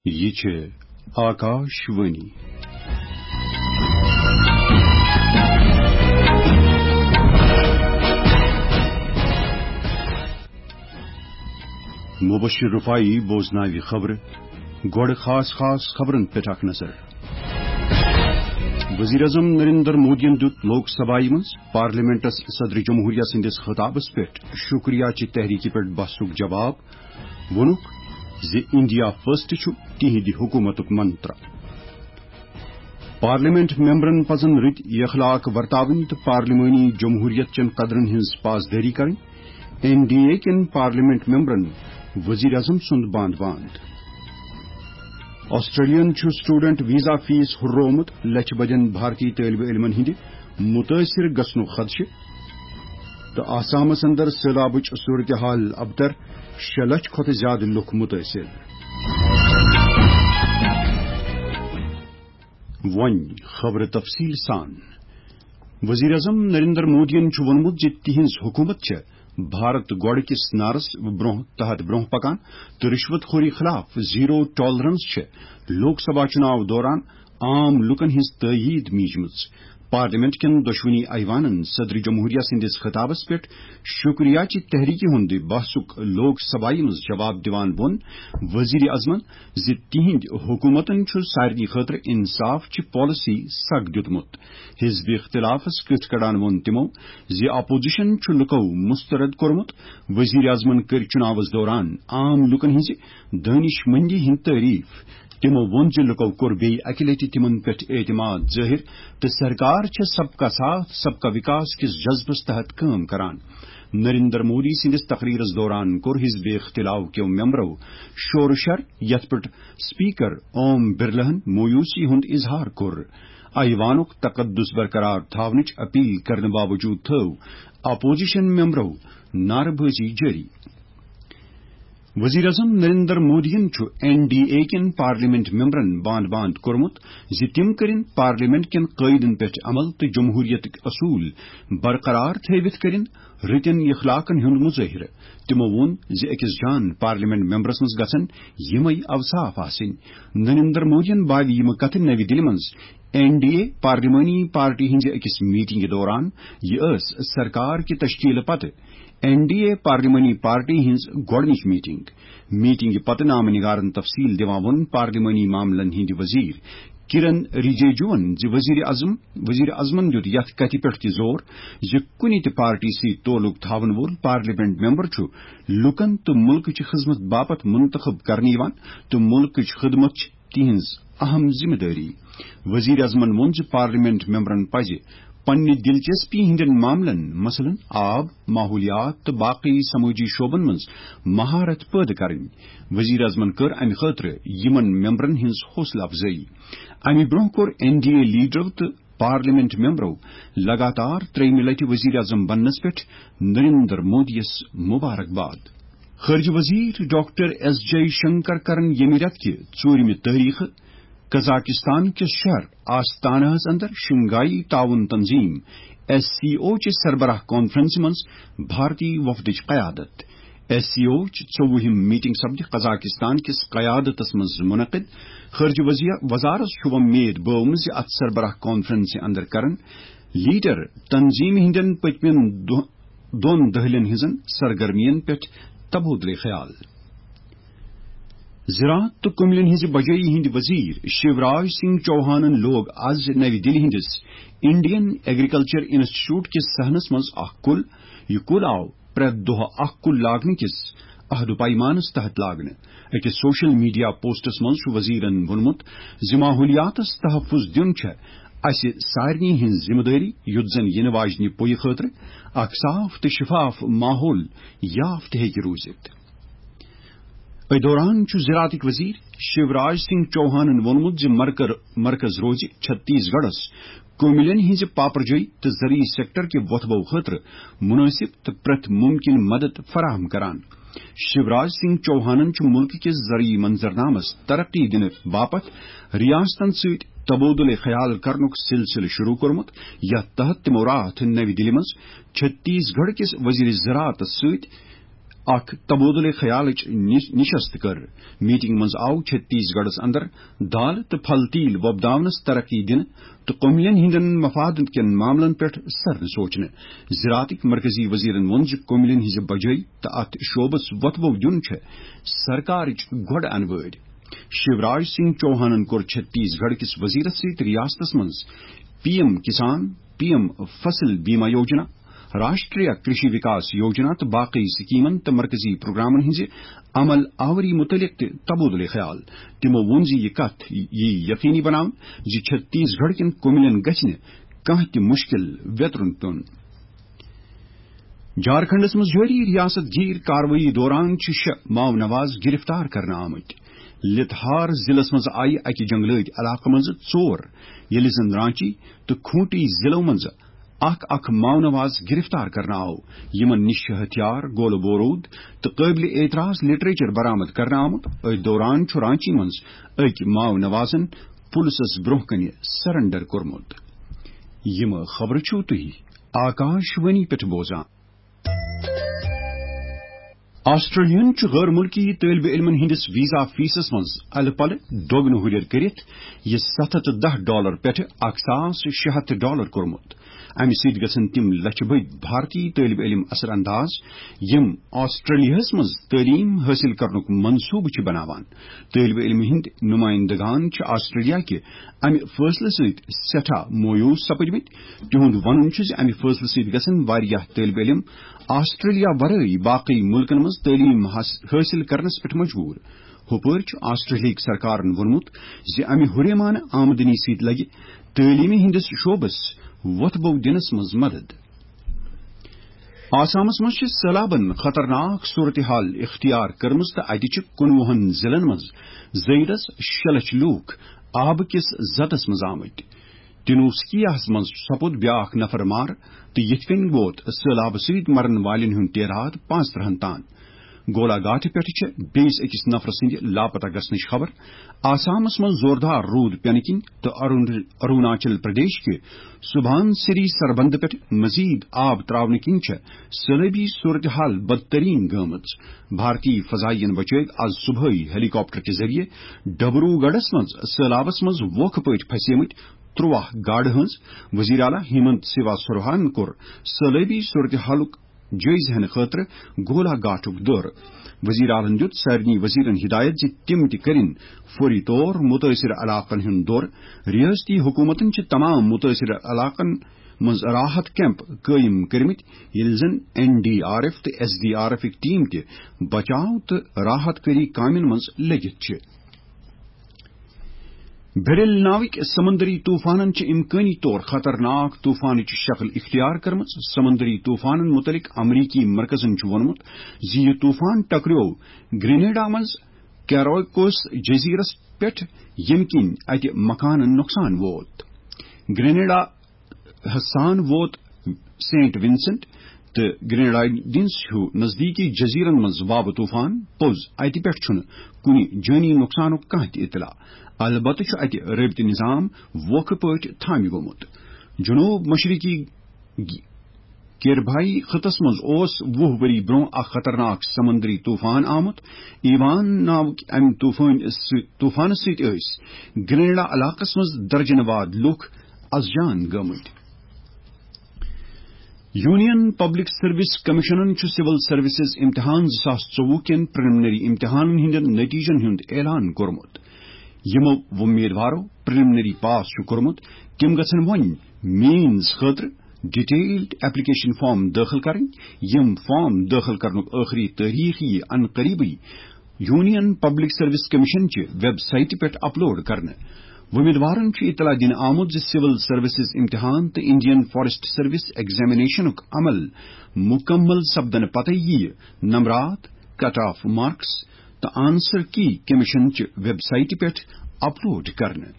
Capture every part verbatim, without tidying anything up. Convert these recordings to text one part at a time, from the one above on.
یہِ چھِ آکاش وانی۔ مبشر رفاعی بوزناوِ خبرٕ۔ گۄڈٕ خاص خاص خبرن پٮ۪ٹھ اکھ نظر۔ وزیر اعظم نریندر مودیَن دیُت لوک سبھایہ منٛز پارلیمنٹس صدر جمہوریہ سٕنٛدِس خطابس پٮ۪ٹھ شکریہ چہِ تحریکہِ پٮ۪ٹھ بحثُک جواب۔ ووٚنُکھ زِ انڈیا فرسٹ چھُ تِہنٛدِ حکومتُک منتر۔ پارلیمنٹ ممبرن پزن رٕتۍ اخلاق ورتاوٕنۍ تہٕ پارلیمانی جمہوریت چٮ۪ن قدرن ہٕنٛز پاسدٲری کرٕنۍ۔ این ڈی اے کٮ۪ن پارلیمنٹ ممبرن وزیر اعظم سُنٛد باند باند۔ آسٹریلیاہن چھُ سٹوڈنٹ ویزا فیس ہُررومُت، لچھِ بٔدٮ۪ن بھارتی طٲلبہِ علمن ہٕنٛدِ مُتٲثِر گژھنُک خدشہٕ۔ تہٕ آسامس اندر سٔہلابٕچ صورتحال ابتر، شےٚ لچھ کھۄتہٕ زیادٕ لُکھ مُتٲثِر۔ وۄنۍ خبرٕ تفصیٖل سان۔ وزیر اعظم نریندر مودیَن چھُ ووٚنمُت زِ تِہنٛز حکومت چھےٚ بھارت گۄڈٕ کِس نعرس برونٛہہ تحت برونٛہہ پکان تہٕ رشوت خوری خلاف زیرو ٹالرنس چھےٚ لوک سبھا چُناو دوران عام لوٗکن ہٕنٛز تٲیید میٖجمٕژ۔ پارلیمنٹ کٮ۪ن دۄشوٕنی ایوانن صدر جمہوریہ سٕنٛدِس خطابس پٮ۪ٹھ شکریہ چہِ تحریکہِ ہُنٛد بحثُک لوک سبھایہ منٛز جواب دِوان ووٚن وزیر اعظمن زِ تِہنٛدِ حکومتن چھُ سارنٕے خٲطرٕ انصاف چہِ پالیسی سگ دیُتمُت۔ حزب اختلافس کِتھ کڑان ووٚن تِمو زِ اپوزیشن چھُ لُکو مسترد کوٚرمُت۔ وزیر اعظمن کٔر چُناوس دوران عام لوٗکن ہٕنٛزِ دانش مندی ہٕنٛز تعریف۔ تِمو ووٚن زِ لُکو کوٚر بیٚیہِ اکہِ لٹہِ تِمن پٮ۪ٹھ اعتماد ظٲہِر تہٕ سرکار چھےٚ سب کا ساتھ، سب کا وکاس کِس جذبس تحت کٲم کران۔ نریندر مودی سٕنٛدِس تقریرس دوران کوٚر حزب اختلاف کیو ممبرو شور و شر، یتھ پٮ۪ٹھ اسپیکر اوم برلاہن مویوسی ہُنٛد اظہار کوٚر۔ ایوانُک تقدس برقرار تھاونٕچ اپیل کرنہٕ باوجود تھٲو اپوزیشن ممبرو نعرٕ بٲزی جٲری۔ وزیر اعظم نریندر مودیَن چھُ این ڈی اے کٮ۪ن پارلیمنٹ ممبرن باند باند کوٚرمُت زِ تِم کٔرِن پارلیمنٹ کٮ۪ن قٲیدن پٮ۪ٹھ عمل تہٕ جمہوریتٕکۍ اصوٗل برقرار تھٲوِتھ کٔرِن رٕتٮ۪ن اخلاقن ہُنٛد مظٲہرٕ۔ تِمو ووٚن زِ أکِس جان پارلیمنٹ ممبرس منٛز گژھن یِمے اوصاف آسٕنۍ۔ نریندر مودیَن باوِ یِم کتھٕ نَوِ دِلہِ منٛز این ڈی اے پارلیمانی پارٹی ہٕنٛزِ أکِس میٹنگہِ دوران۔ یہِ ٲس سرکار کہِ تشکیلہٕ پتہٕ این ڈی اے پارلیمانی پارٹی ہٕنٛز گۄڈٕنِچ میٹنگ۔ میٹنگہِ پتہٕ نامہ نگارن تفصیل دِوان ووٚن پارلیمانی معاملن ہٕنٛدِ وزیر کرن رجیجوَن زِ وزیر اعظم، وزیر اعظمن دیُت یتھ کتھِ پٮ۪ٹھ تہِ زور زِ کُنہِ تہِ پارٹی سۭتۍ تعلق تھاون وول پارلیمنٹ ممبر چھُ لوٗکن تہٕ مُلکٕچ خدمت باپتھ منتخب کرنہٕ یِوان تہٕ مُلکٕچ خدمت چھِ تِہنٛز اہم ذمہ دٲری۔ وزیر اعظمن ووٚن زِ پارلیمنٹ ممبرن پزِ پننہِ دلچسپی ہٕنٛدٮ۪ن معاملن، مثلاً آب، ماحولیات تہٕ باقی سمٲجی شعبن منٛز مہارت پٲدٕ کرٕنۍ۔ وزیر اعظمن کٔر امہِ خٲطرٕ یِمن ممبرن ہٕنٛز حوصلہٕ افزٲیی۔ امہِ برٛونٛہہ کوٚر این ڈی اے لیڈرو تہٕ پارلیمنٹ ممبرو لگاتار ترٛیٚیِمہِ لٹہِ وزیر اعظم بننس پٮ۪ٹھ نریندر مودیَس مبارکباد۔ خارجہ وزیر ڈاکٹر ایس جے شنکر کرن ییٚمہِ رٮ۪تہٕ کہِ ژوٗرِمہِ تٲریخہٕ قزاقستان کِس شہر آستانہس اندر شنگھائی تعاون تنظیم، ایس سی او، چہِ سربراہ کانفرنسہِ منٛز بھارتی وفدٕچ قیادت۔ ایس سی او چہِ ژوٚوُہِم میٹنگ سپدِ قزاقستان کِس قیادتس منٛز منعقد۔ خارجہ وزی-، وزارت چھُ وۄمید بٲومٕژ زِ اتھ سربراہ کانفرنسہِ اندر کرن لیڈر تنظیمہِ ہٕنٛدٮ۪ن پٔتمٮ۪ن دۄ-، دۄن دٔہلٮ۪ن ہٕنٛزن سرگرمین پٮ۪ٹھ تبادلہ خیال۔ زراعت تہٕ کُملٮ۪ن ہٕنٛزِ بجٲیی ہٕنٛدۍ وزیر شیوراج سنگھ چوہانن لوگ از نَوِ دِلہِ ہٕنٛدِس انڈین ایگریکلچر انسٹیٹیوٹ کِس صحنس منٛز اکھ کُل۔ یہِ کُل آو پرٛٮ۪تھ دۄہ اکھ کُل لاگنہٕ کِس عہد و پیمانس تحت لاگنہٕ۔ أکِس سوشل میڈیا پوسٹس منٛز چھُ وزیرن ووٚنمُت زِ ماحولیاتس تحفظ دیُن چھےٚ اسہِ سارنٕے ہٕنٛز ذمہٕ دٲری، یُتھ زن یِنہٕ واجنہِ پویہِ خٲطرٕ اکھ صاف تہٕ شفاف ماحول یافت ہیٚکہِ روٗزِتھ۔ أتھۍ دوران چھُ زراعتٕکۍ وزیر شیوراج سنگھ چوہانن ووٚنمُت زِ مرکر-، مرکز روزِ چھتیس گڑھس کُملٮ۪ن ہٕنٛزِ پاپرجٲیی تہٕ زرعی سیکٹر کہِ وۄتھبو خٲطرٕ مُنٲسِب تہٕ پرٛٮ۪تھ مُمکِن مدد فراہم کران۔ شیوراج سنگھ چوہانن چھُ مُلکہٕ کِس زرعی منظرنامس ترقی دِنہٕ باپتھ ریاستن سۭتۍ تبادلہ خیال کرنُک سلسلہٕ شروع کوٚرمُت، یتھ تحت تِمو راتھ نَوِ دِلہِ منٛز چھتیس گڑھ کِس وزیر زراعتس سۭتۍ اکھ تبادلہ خیالٕچ نش-، نشست کٔر۔ میٹنگ منٛز آو چھتیس گڑھس اندر دال تہٕ پھل تیل وۄپداونس ترقی دِنہٕ تہٕ کٔملین ہٕنٛدٮ۪ن مفادن کٮ۪ن معاملن پٮ۪ٹھ سرنہٕ سوچنہٕ۔ زراعتٕکۍ مرکزی وزیرن ووٚن زِ کٔملین ہٕنٛزِ بجٲے تہٕ اتھ شعبس وۄتھٕ بو دیُن چھےٚ سرکارٕچ گۄڈٕ انوٲرۍ۔ شیوراج سنگھ چوہانن کوٚر چھتیس گڑھ کِس وزیرس سۭتۍ ریاستس منٛز پی ایم کسان، پی ایم فصل بیمہ یوجنا، راشٹریہ کرشی وکاس یوجنا تہٕ باقی سکیمن تہٕ مرکزی پروگرامن ہٕنٛزِ عمل آوری متعلق تہِ تبادلہ خیال۔ تِمو ووٚن زِ یہِ کتھ یی یقینی بناونہٕ زِ چھتیس گڑھ کٮ۪ن کٔملین گژھِ نہٕ کانٛہہ تہِ مشکل ویترُن پیوٚن۔ جھارکھنڈس منٛز جٲری ریاست گیر کاروٲیی دوران چھِ شےٚ ماؤ نواز گرفتار کرنہٕ آمٕتۍ۔ لتہار ضلعس منٛز آیہِ اکہِ جنگلٲتۍ علاقہٕ منٛز ژور، ییٚلہِ زن رانچی تہٕ کھونٹی ضلعو منٛز اکھ اکھ ماؤ نواز گرفتار کرنہٕ آو۔ یِمن نِش چھِ ہتھیار، گولہٕ بوروٗد تہٕ قٲبلِ اعتراض لٹریچر برآمد کرنہٕ آمُت۔ أتھۍ دوران چھُ رانچی منٛز أکۍ ماؤ نوازن پُلسس برٛونٛہہ کنہِ سرنڈر کوٚرمُت۔ یِم خبرٕ چھِو تُہۍ آکاش وانی پٮ۪ٹھ بوزان۔ آسٹریلیاہن چھُ غٲر مُلکی طٲلبہِ علمن ہٕنٛدِس ویزا فیسس منٛز الہٕ پلہٕ دۄگنہٕ ہُرٮ۪ر کٔرِتھ یہِ ستھ ہتھ تہٕ دَہ ڈالر پٮ۪ٹھٕ اکھ ساس شےٚ ہتھ ڈالر کوٚرمُت۔ امہِ سۭتۍ گژھن تِم لچھِ بٔدۍ بھارتی طٲلبہِ علم اثر انداز، یِم آسٹریلیاہس منٛز تعلیٖم حٲصِل کرنُک منصوٗبہٕ چھِ بناوان۔ طٲلبہِ علمہِ ہٕنٛدۍ نُمٲیِندگان چھِ آسٹریلیا کہِ امہِ فٲصلہٕ سۭتۍ سٮ۪ٹھاہ مویوٗس سپٕدمٕتۍ۔ تِہُنٛد وَنُن چھُ زِ امہِ فٲصلہٕ سۭتۍ گژھن واریاہ طٲلبہِ علم آسٹریلیا ورٲے باقٕے مُلکن منٛز تعلیٖم حاص-، حٲصِل کرنس پٮ۪ٹھ مجبوٗر۔ ہُپٲرۍ چھُ آسٹریلیاہٕکۍ سرکارن ووٚنمُت زِ امہِ ہُریمانہٕ آمدنی سۭتۍ لگہِ تعلیٖمہِ ہٕنٛدِس شعبس وۄتھٕ بو دِنس منٛز مدد۔ آسامس منٛز چھِ سٔہلابن خطرناک صورتحال اختیار کٔرمٕژ تہٕ اتہِ چھِ کُنوُہن ضلعن منٛز زٲیدس شےٚ لچھ لوٗکھ آبہٕ کِس زتس منٛز آمٕتۍ۔ تِنوسکیاہس منٛز سپُد بیٛاکھ نفر مارٕ تہٕ یِتھ کٔنۍ ووت سٔہلابہٕ سۭتۍ مرن والٮ۪ن ہُنٛد تعداد پانٛژترٕہن تام۔ گولا گاٹھٕ پٮ۪ٹھٕ چھِ بیٚیِس أکِس نفرٕ سٕنٛدِ لاپتہ گژھنٕچ خبر۔ آسامس منٛز زوردار روٗد پٮ۪نہٕ کِنۍ تہٕ ارون-، اروناچل پردیش کہِ سبحان سری سربندٕ پٮ۪ٹھ مزید آب تراونہٕ کِنۍ چھےٚ سٔہلٲبی صورتحال بدترین گٔمٕژ۔ بھارتی فضائین بچٲوۍ آز صبحٲے ہیلی کاپٹر کہِ ذٔریعہٕ ڈبروگڑھس منٛز سٔہلابس منٛز ووکھٕ پٲٹھۍ پھسیمٕتۍ ترٛواہ گاڈٕ ہٕنٛز۔ وزیر اعلیٰ ہیمنت سیوا سرہان کوٚر سٔہلٲبی صورتحالُک جٲیزٕ ہینہٕ خٲطرٕ گولا گاٹھُک دورٕ۔ وزیر اعلیٰ ہَن دیُت سارنٕے وزیرن ہدایت زِ تِم تہِ کٔرِن فوری طور مُتٲثِر علاقن ہُنٛد دورٕ۔ ریاستی حکومتن چھِ تمام مُتٲثِر علاقن منٛز راحت کیمپ قٲیِم کٔرمٕتۍ، ییٚلہِ زن این ڈی آر ایف تہٕ ایس ڈی آر ایف کہِ ٹیم تہِ بچاو تہٕ راحت کٲری کامٮ۪ن منٛز لٔگِتھ چھِ۔ بیرل ناوٕکۍ سمندری طوفانن چھِ امکٲنی طور خطرناک طوفانٕچ شکل اختیار کٔرمٕژ۔ سمندری طوفانن متعلق امریکی مرکزن چھُ ووٚنمُت زِ یہِ طوفان ٹکریو گرینیڈا منٛز کیروکوس جزیرس پٮ۪ٹھ، ییٚمہِ کِنۍ اتہِ مکانن نۄقصان ووت۔ گرینیڈا ہسان ووت سینٹ ونسنٹ تہٕ گریناڈائنز ہیو نزدیکی جزیرن منٛز وابہٕ طوفان پوٚز۔ اتہِ پٮ۪ٹھ چھُنہٕ کُنہِ جٲنی نۄقصانُک کانٛہہ تہِ اطلاع۔ البتہٕ چھُ اتہِ رٲبطہٕ نظام ووکھٕ پٲٹھۍ تھامہِ گوٚمُت۔ جنوب مشرقی کیربھائی خطس منٛز اوس وُہ ؤری برٛونٛہہ اکھ خطرناک سمندری طوفان آمُت۔ ایوان ناوٕکۍ امہِ طوفان سۭ-، طوفانہٕ سۭتۍ ٲسۍ گریناڈا علاقس منٛز درجن واد لوٗکھ از جان گٔمٕتۍ۔ یونین پبلک سروس کمیشنن چھُ سول سروسز امتحان زٕ ساس ژوٚوُہ کٮ۪ن پریلیمنری امتحانن ہٕنٛدٮ۪ن نتیجن ہُنٛد اعلان کوٚرمُت۔ یِمو وۄمیدوارو پریلیمنری پاس چھُ کوٚرمُت، تِم گژھن وۄنۍ مینز خٲطرٕ ڈیٹیلڈ ایپلیکیشن فارم دٲخل کرٕنۍ۔ یِم فارم دٲخل کرنُک ٲخری تٲریخ یِیہِ ان قریبٕے یونین پبلک سروس کمیشن چہِ ویب سائٹہِ پٮ۪ٹھ اپلوڈ کرنہٕ۔ وۄمیدوارن چھُ اطلاع دِنہٕ آمُت زِ سول سروسز امتحان تہٕ انڈین فارسٹ سروس ایگزامینیشنُک عمل مکمل سپدنہٕ پتہٕ یِیہِ نمبرات، کٹ آف مارکس تہٕ آنسر کی کمیشن چہِ ویب سائٹہِ پٮ۪ٹھ اپلوڈ کرنہٕ۔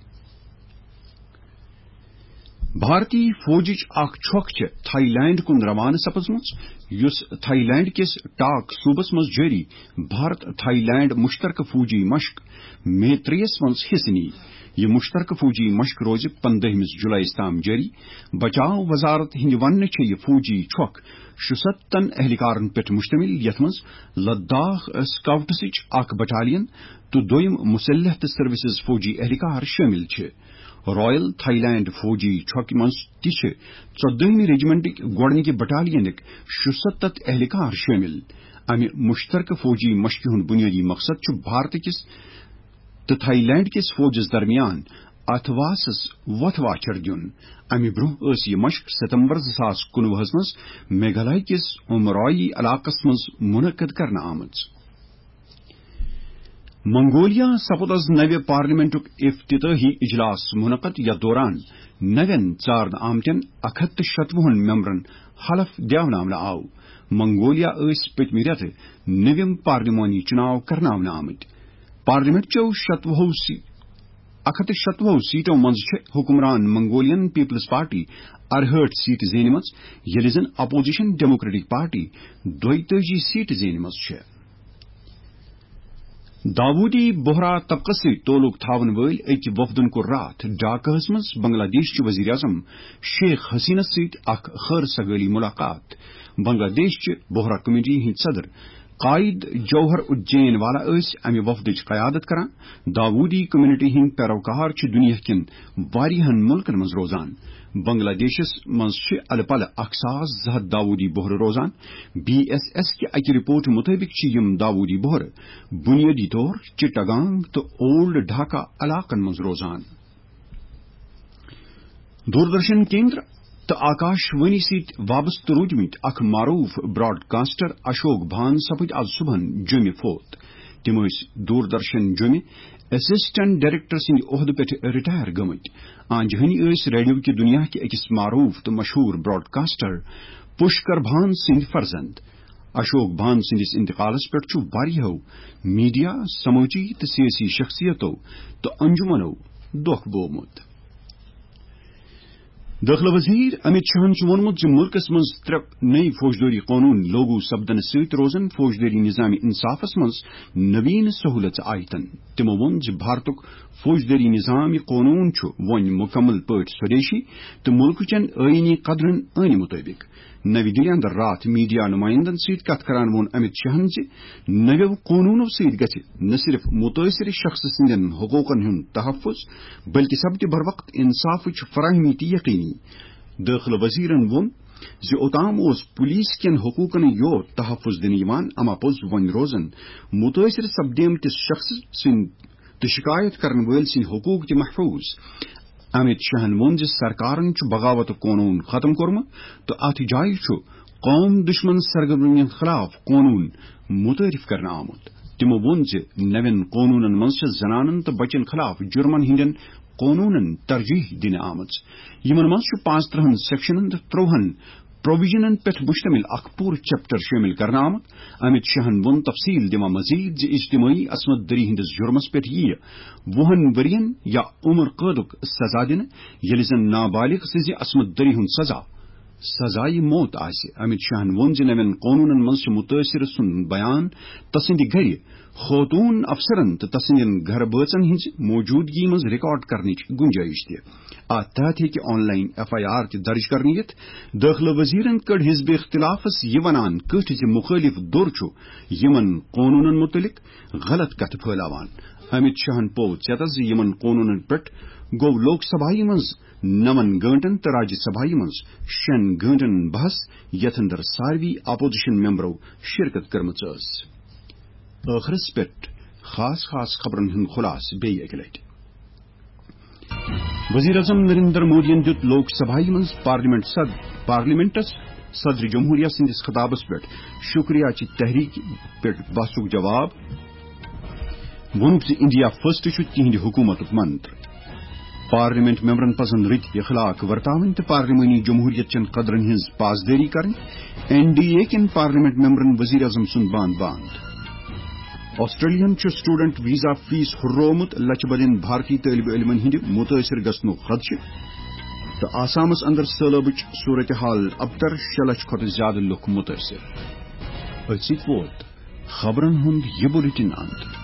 بھارتی فوجٕچ اکھ چھۄکھ چھےٚ تھائی لینڈ کُن روانہٕ سپٕزمٕژ۔ یُس تھائی لینڈ کِس ٹاک صوبس منٛز جٲری بھارت تھائی لینڈ مشترکہٕ فوجی مشق مے ترٛیٚیس منٛز حصہٕ نِیہِ۔ یہِ مشترکہٕ فوجی مشق روزِ پندہمِس جولائیس تام جٲری۔ بچاو وزارت ہٕنٛدِ وننہٕ چھےٚ یہِ فوجی چھۄکھ شُستتن اہلکارن پٮ۪ٹھ مشتمل، یتھ منٛز لداخ سکاؤٹسٕچ اکھ بٹالین تہٕ دوٚیم مسلح تہٕ سروسز فوجی اہلکار شٲمِل چھِ۔ رائل تھائی لینڈ فوجی چھۄکہِ منٛز تہِ چھِ ژۄدہمہِ رجمنٹٕکۍ گۄڈٕنِکہِ بٹالینٕکۍ شُستتھ اہلکار شٲمِل۔ امہِ مشترکہٕ فوجی مشقہِ ہُنٛد بنیٲدی مقصد چھُ بھارت کِس تہٕ تھائی لینڈ کِس فوجس درمیان اتھواسس وتھ واچھر دیُن۔ امہِ برٛونٛہہ ٲس یہِ مشق ستمبر زٕ ساس کُنوُہس منٛز میگھالیہ کِس امرائی علاقس منٛز منعقد کرنہٕ آمٕژ۔ منگولیا سپُد از نوِ پارلیمنٹُک افتتاحی اجلاس منعقد، یتھ دوران نوٮ۪ن ژارنہٕ آمتٮ۪ن اکھ ہتھ تہٕ شتوُہن ممبرن حلف دیاوناونہٕ آو۔ منگولیا ٲسۍ پٔتمہِ رٮ۪تہٕ نوِم پارلیمانی چُناو کرناونہٕ آمٕتۍ۔ پارلیمنٹ چٮ۪و شتوُہو سی-، اکھ ہتھ تہٕ شتوُہو سیٹو منٛز چھِ حکمران منگولین پیپلز پارٹی ارہٲٹھ سیٹہٕ زینمٕژ، ییٚلہِ زن اپوزیشن ڈیموکریٹک پارٹی دۄیتٲجی سیٹہٕ زینمٕژ چھےٚ۔ داوودی بوہرا طبقس سۭتۍ تعلق تھاون وٲلۍ أکۍ وفدن کوٚر راتھ ڈھاکہس منٛز بنگلہ دیش چہِ وزیر اعظم شیخ حسینس سۭتۍ اکھ خٲر سگٲلی ملاقات۔ بنگلہ دیش چہِ بوہرا کمیونٹی ہٕنٛدۍ صدر قائد جوہر الدین والا ٲسۍ امہِ وفدٕچ قیادت کران۔ داوودی کمیونٹی ہٕنٛدۍ پیروکار چھِ دُنیا کٮ۪ن واریاہن مُلکن منٛز روزان۔ بنگلہ دیشس منٛز چھِ الہٕ پلہٕ اکھ ساس زٕ ہتھ داوودی بوہرٕ روزان۔ بی ایس ایس کہِ اکہِ رپورٹ مُطٲبِق چھِ یِم داوودی بوہرٕ بنیٲدی طور چٹگانگ تہٕ اولڈ ڈھاکہ علاقن منٛز روزان۔ دوردرشن کیندر تہٕ آکاش وانی سۭتۍ وابستہٕ روٗدمٕتۍ اکھ معروٗف براڈکاسٹر اشوک بھان سپٕدۍ از صبحن جوٚمہِ فوت۔ تِم ٲسۍ دوردرشن جوٚمہِ اسسٹنٹ ڈائریکٹر سٕنٛدِ عہدٕ پٮ۪ٹھ رٹائر گٔمٕتۍ۔ آنجہِ ہنی ٲسۍ ریڈیو کہِ دنیا کہِ أکِس معروٗف تہٕ مشہوٗر براڈکاسٹر پُشکر بھان سٕنٛدۍ فرزند۔ اشوک بھان سٕنٛدِس انتقالس پٮ۪ٹھ چھُ واریاہو میڈیا، سمٲجی تہٕ سیٲسی شخصیتو تہٕ انجمنو دۄکھ بوومُت۔ دٲخلہٕ وزیر امت شاہن چھُ ووٚنمُت زِ مُلکس منٛز ترٛےٚ نٔوۍ فوجدٲری قونوٗن لاگو سپدنہٕ سۭتۍ روزن فوجدٲری نظام انصافس منٛز نوین سہولژٕ آیتن۔ تِمو ووٚن زِ بھارتُک فوجدٲری نظام یہِ قونوٗن چھُ وۄنۍ مُکمل پٲٹھۍ سودیشی تہٕ مُلکہٕ چٮ۪ن آئینی قدرن عٲنہِ مُطٲبِق۔ نَوِ دِلہِ اندر راتھ میڈیا نُمایندن سۭتۍ کتھ کران ووٚن امت شاہن زِ نویو قونوٗنو سۭتۍ گژھِ نہ صرف مُتٲثرٕ شخص سٕنٛدٮ۪ن حقوٗقن ہُنٛد تحفظ، بلکہِ سپدِ بروقت انصافٕچ فراہمی تہِ یقینی۔ دٲخلہٕ وزیرن ووٚن زِ اوتام اوس پولیس کٮ۪ن حقوٗقن یوت تحفظ دِنہٕ یِوان، اما پوٚز وۄنۍ روزن مُتٲثرٕ سپدیمتِس شخص سٕنٛدۍ تہٕ شکایت کرن وٲلۍ سٕنٛدۍ حقوٗق تہِ محفوٗظ۔ امت شاہن ووٚن زِ سرکارن چھُ بغاوت قونوٗن ختم کوٚرمُت تہٕ اتھ جایہِ چھُ قوم دشمن سرگرمین خلاف قونوٗن متعارف کرنہٕ آمُت۔ تِمو ووٚن زِ نوٮ۪ن قونوٗنن منٛز چھِ زنانن تہٕ بچن خلاف جرمن ہٕنٛدٮ۪ن قونوٗنن ترجیح دِنہٕ آمٕژ۔ یِمن منٛز چھُ پانٛژترٕہن سیکشنن تہٕ ترٛوہن پروویژنن پٮ۪ٹھ مشتمل اکھ پوٗرٕ چیپٹر شٲمِل کرنہٕ آمُت۔ امت شاہن ووٚن تفصیل دِوان مزید زِ اجتمٲعی عصمت دری ہٕنٛدِس جرمس پٮ۪ٹھ یِیہِ وُہن ؤرین یا عمر قٲدُک سزا دِنہٕ، ییٚلہِ زن نابالغ سٕنٛزِ عصمت دری ہُنٛد سزا سزائے موت آسہِ۔ امت شاہن ووٚن زِ نوٮ۪ن قونوٗنن منٛز چھِ مُتٲثرٕ سُنٛد بیان، تسٕنٛدِ گرِ، خوتوٗن افسرن تہٕ تسٕنٛدٮ۪ن گرٕ بٲژن ہٕنٛزِ موجودگی منٛز ریکارڈ کرنٕچ گُنجٲیِش تہِ۔ اتھ تحت ہیٚکہِ online F I R تہِ درج کرنہٕ یِتھ۔ دٲخلہٕ وزیرن کٔڑ حزب اختلافس یہِ ونان کٔٹھۍ زِ مُخٲلف دھُر چھُ یِمن قونوٗنن مُتعلق غلط کتھٕ پھٲلاوان۔ امت شاہن پوٚو ژیتس زِ یِمن قونوٗنن پٮ۪ٹھ گوٚو لوک سبھایہ منٛز نَوَن گٲنٛٹن تہٕ راجیہ سبھایہ منٛز شٮ۪ن گٲنٛٹن بحث، یتھ اندر ساروی اپوزیشن ممبرو شرکت کٔرمٕژ ٲس۔ ٲخرس پٮ۪ٹھ خاص خاص خبرن ہُنٛد خلاصہٕ بیٚیہِ اکہِ لٹہِ۔ وزیر اعظم نریندر مودیَن دیُت لوک سبھایہ منٛز پارلیمنٹ صد-، پارلیمنٹس صدر جمہوریہ سٕنٛدِس خطابس پٮ۪ٹھ شکریہ چہِ تحریک پٮ۪ٹھ بحثُک جواب۔ ووٚنُکھ زِ انڈیا فرسٹ چھُ تِہنٛدِ حکوٗمتُک منتر۔ پارلیمنٹ ممبرن پزن رٕتۍ اخلاق ورتاوٕنۍ تہٕ پارلیمانی جمہوریت چٮ۪ن قدرن ہٕنٛز پاسدٲری کرٕنۍ۔ این ڈی اے کٮ۪ن پارلیمنٹ ممبرن وزیر اعظم سُنٛد باند باند۔ آسٹریلیاہن چھُ سٹوڈنٹ ویزا فیس ہُررومُت، لچھ بدین بھارتی طٲلبِ علمن ہٕنٛدِ مُتٲثر گژھنُک خدشہٕ۔ تہٕ آسامس اندر سٲلٲبٕچ صورتحال، ابتر شےٚ لچھ کھۄتہٕ زیادٕ لُکھ مُتٲثِر۔ أتھۍ سۭتۍ ووت خبرن ہُنٛد یہِ بُلٹن اند۔